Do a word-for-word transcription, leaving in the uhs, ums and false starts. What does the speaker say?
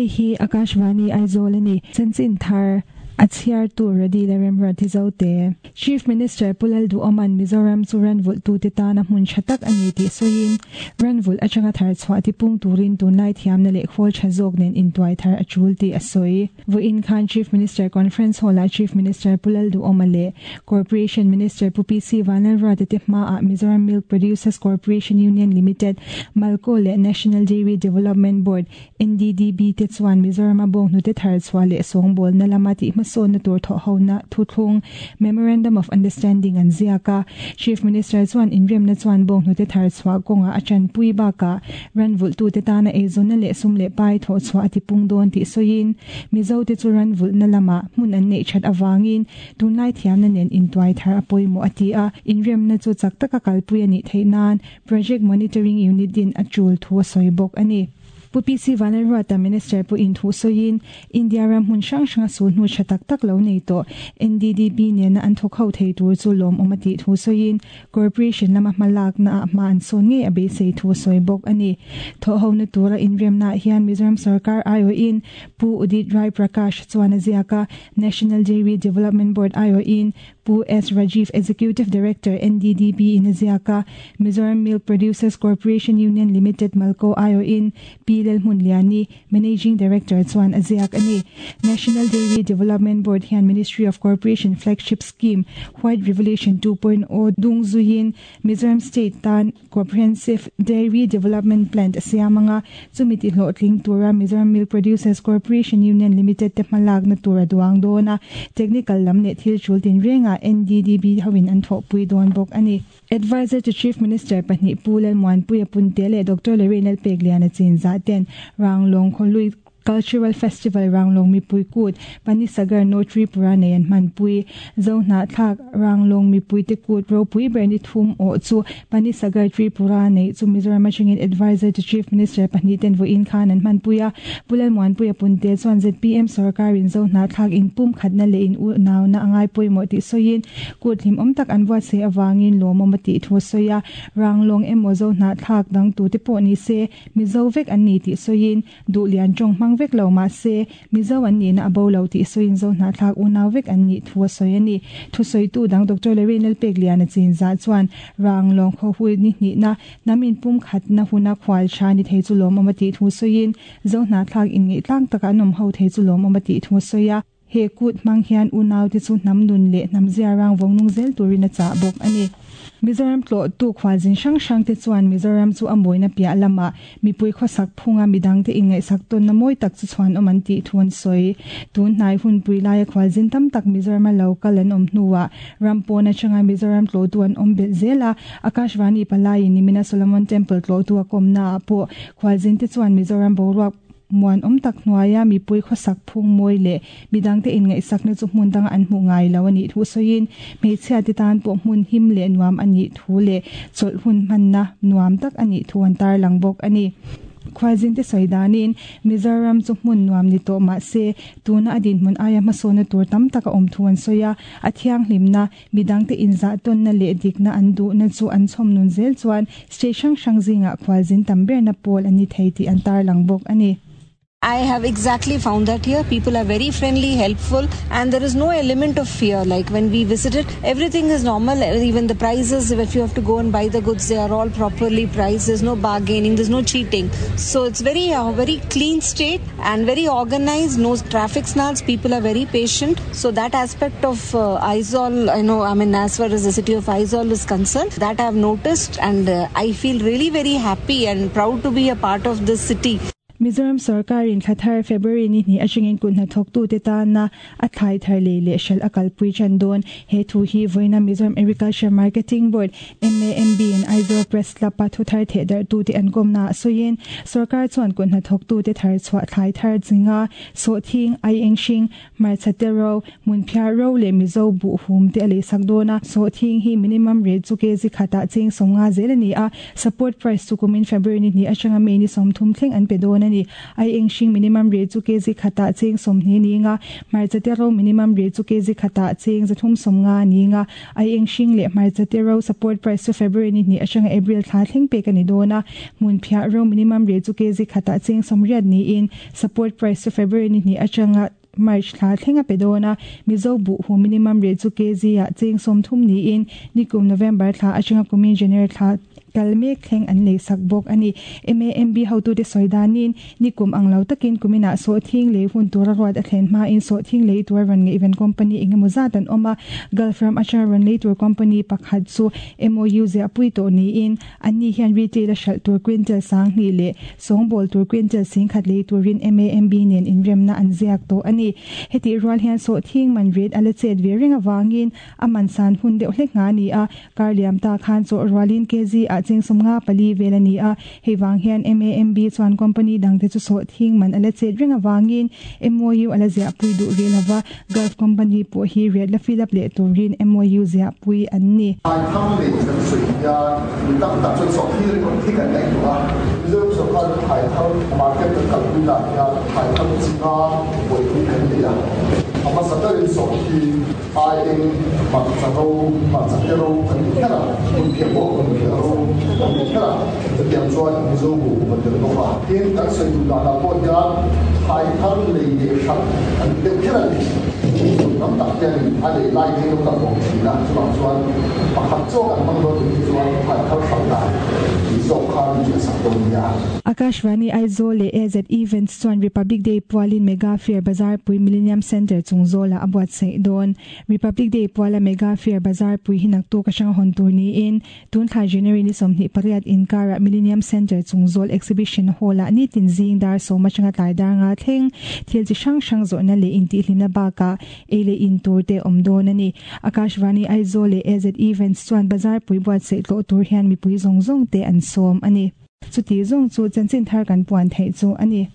Hei hi Akashvani Aizawl a ni. Chanchin thar a chhiar tu Radi le Remruati Zote. Chief Minister Pu Lalduhoma'n Mizoram chu ranvulh tute tana hmun tha tak a ni tih sawiin ranvulh atanga thar chhuah tipung turin tunlai thiamna leh khawl tha zawk nen intuai thar a tul tih a sawi. Vawiin khan Chief Minister Conference Hall-ah Chief Minister Pu Lalduhoma leh Corporation Minister Pu P C Vanlalruata te hmaah Mizoram Milk Producers Corporation Union Limited, Malco leh National Dairy Development Board, N D D B te chuan Mizorama bawnghnute thar chhuah leh sawngbawlna lama tih hmasawnna tur thawh hona thuthlung Memorandum of Understanding an ziaka. Chief Minister chuan inremna chuan bawnghnute thar chhuah kawnga a chanpui baka ranvulh tute tana eizawnna leh sum leh pai thawh chhuah a tipung dawn tih sawiin Mizo te chu ranvulhna lama hmun an neih that awangin tunlai thiamna nen intuai thar a pawimawh a ti a. Inremna chu chak taka kalpui a nih theih nan Project Monitoring Unit din a tul thu a sawi bawk a ni. Pu P C Vanlalruata Minister pu in thu sawiin India ram hmun hrang hranga sul hnu tha tak tak lo nei tawh N D D B nena an thawk ho thei tur chu lawm awm a tih thu sawiin Corporation lama hmalakna ah hma an sawn ngei a beisei thu sawi bawk a ni. Thawh hona tura inremna hian Mizoram Sarkar I O in Pu Udit Rai Prakash chuan a ziaka National Dairy Development Board I O in Pu S Rajiv Executive Director N D D B in a ziaka Mizoram Milk Producers Corporation Union Limited Malco I O in P Lelhmun Liani Managing Director chuan a ziak ani. National Dairy Development Board hian Ministry of Corporation Flagship Scheme White Revolution two point oh dung zuin Mizoram State tan Comprehensive Dairy Development Plan siamanga chumiti hlawhtling tura Mizoram Milk Producers Corporation Union Limited te hmalak na tura duang dona technical lam le thil chul tin renga N D D B hawin an thawh pui dawn bawk ani. Advisor to Chief Minister pahnih Pu Lalmuanpuia Punte leh Doctor Lorraine Lalpegliana Chinza ten Ranglong Kholui Cultural Festival Ranglong Mipui Kut Panisagar No Tripura nei an hmanpui Zohna thlak Ranglong Mipui te kut ropui ber ni thum aw chu Panisagar Tripura nei chu Mizoram atangin Advisor to Chief Minister pahnih ten vawiin khan an hmanpuia Pu Lalmuanpuia Punte chuan Z P M sarkarin Zohna thlak in pum khatna leh in u nauna angai pawimawh tih sawiin kut hlim awm tak an buat sei awangin lawmawm a tih thu sawia Ranglong emaw Zohna thlak dang tu te pawh ni se Mizo vek an ni tih sawiin duhlian tawng hmang vek lo ma se Mizo an ni na abo lo tih sawiin Zohna thlak unau vek an ni thu sawi ani. Thu sawi tu dang Doctor Lorraine Lalpegliana Chinza chuan Ranglong khaw hui ni hnih na namin pum khat na huna khwal tha ni thei chu lawmawm a tih thu sawiin Zohna thlak in ngei tlang taka an awm ho thei chu lawmawm a tih thu sawia he kut hmang hian unau te chu hnam nun leh hnam zia rang vawng nung zel turin a chah bawk ani. Mizoram tlo tu khwalzin hrang hrang te chuan Mizoram chu a mawina piah lama mipui khawsak phunga midang te inngaih sak tawn na mawi tak chu chhuan awm an tih thu an sawi. Tun hnai hun pui laia khwalzin tam tak Mizorama lo kal an awm hnuah ram pawn atanga Mizoram tlo tu an awm belh zela Akashvani palaiin nimina Solomon Temple tlo tu a kawmna ah pawh khwalzin te chuan Mizoram boruak muan awm tak hnuaia mipui khawsak phung mawi leh midang te inngaih sakna chu hmun danga an hmuh ngai lo ani thu sawiin hmeichhia te tan pawh hmun him leh nuam ani thu leh chawlh hun hmanna nuam tak ani thu an tarlang bawk ani. Khwalzin te sawi danin Mizoram chu hmun nuam ni tawh mah se tuna a dinhmun aia hmasawna tur tam taka awm thu an sawi a a thianghlimna midang te inzah tawnna leh dikna an duhna chu an chhawm nun zel chuan state hrang hrang zingah khwalzin tam berna pawl ani thei tih an tarlang bawk ani. I have exactly found that here. People are very friendly, helpful, and there is no element of fear. Like when we visited, everything is normal. Even the prices, if you have to go and buy the goods, they are all properly priced. There's no bargaining, there's no cheating. So it's very, uh, very clean state and very organized. No traffic snarls. People are very patient. So that aspect of uh, Aizawl, I know, I mean, as far as the city of Aizawl is concerned, that I have noticed, and uh, I feel really very happy and proud to be a part of this city. Mizoram Sarkarin thlathar February ni hnih atangin kun hnathawk tu te tana a thlai thar lei leh hral a kalpui chan dawn. He thu hi vawiina Mizoram Agriculture Marketing Board M A M B in Aizawl Press Club a thu thar theh darh tu te an kawmna sawiin sarkar chuan kun hnathawk tu te thar chhuah thlai thar zinga sawhthing ai eng hring hmarcha te ro hmun phiar ro leh Mizo buh hum te a lei sak dawn a. Sawhthing hi minimum rate chu kg khatah cheng sawmnga zel ani a. Support price chu kumin February ni hnih atanga May ni sawmthum thleng an pe dawn ani. Ai eng hring minimum rate chu kg khatah cheng sawmhnih ni nga hmarcha te ro minimum rate chu kg khatah cheng zathum sawmnga ni nga ai eng hring leh hmarcha te ro support price chu February February ni hnih atanga April thla thleng pek a ni dawn a, hmunphiah ro minimum rate chu kg khatah cheng sawmriat niin support price chu February ni hnih atanga March thla thleng a pe dawn a, Mizo buhhu minimum rate chu kg ah cheng sawmthum niin nikum November thla atanga kumin January thla kal mek thleng an lei sak bawk a ni. M A M B hotute sawi danin nikum ang lo takin kuminah sawhthing lei hun tura ruat a thlen hmain sawhthing lei tur rawn ngaihven company engemaw zat an awm a, Gulf ram atanga rawn lei tur company pakhat chu M O U ziahpui tawh niin anni hian retail a hralh tur quintal sanghnih leh sawngbawl tur quintal singkhat lei turin M A M B nen inremna an ziak tawh a ni. Heti rual hian sawhthing man rate a la chet ve reng awangin a man san hun deuh hlek nga a ni a, kar liam ta khan chawh rualin kg ah cheng sawmnga pali vel a ni a, hei vang hian M A M B chuan company dangte chu sawhthing man a la chet reng awangin M O U a la ziahpui duh rih lova, Gulf company pawh hi rate la fill up leh turin M O U ziahpui an ni. Thlai thar lei kan sawi hian mi tam tak chuan sawhthing ringawt hi kan ngaihtuah a, Mizoram sorkar thlai thar market kan kalpui dan hian thlai thar chi nga buaipui kan nei a, a hmasa berin sawhthing, aieng, hmarcha ro, hmarcha te ro kan ti kher a, hmunphiah pawh hmunphiah ro kan ti kher a, chutiang chuan Mizo buh kan tel bawk a. Tin, kan sawi duh danah pawh hian thlai thar lei leh hralh kan ti deuh kher a ni. Tam tak hianin a lei lai te hi lo kal awm thin a, chuvang chuan pakhat chaw kan hmang dawn nih hi chuan thlai thar hralh dan tih zawk kha min hriatsak dawn nia. Akashvani Aizawl leh A Z Events chuan Republic Day pualin Mega Fair Bazar pui Millennium Centre chung zawlah a buatsaih dawn. Republic Day puala Mega Fair Bazar pui hi naktuk atanga hawn tur niin tun thla January ni sawmhnih pariat inkarah Millennium Centre chung zawl Exhibition Hall-ah nitin zing dar sawm atanga tlai dar nga thleng thil chi hrang hrang zawhna leh intihhlimna bakah ei leh in tur te awm dawn a ni. Akashvani Aizawl leh A Z Events chuan Bazar pui buatsaih tlawh tur hian mipui zawng zawng te an sawm a ni. Chuti zawng chu chanchin thar kan puan theih chu a ni.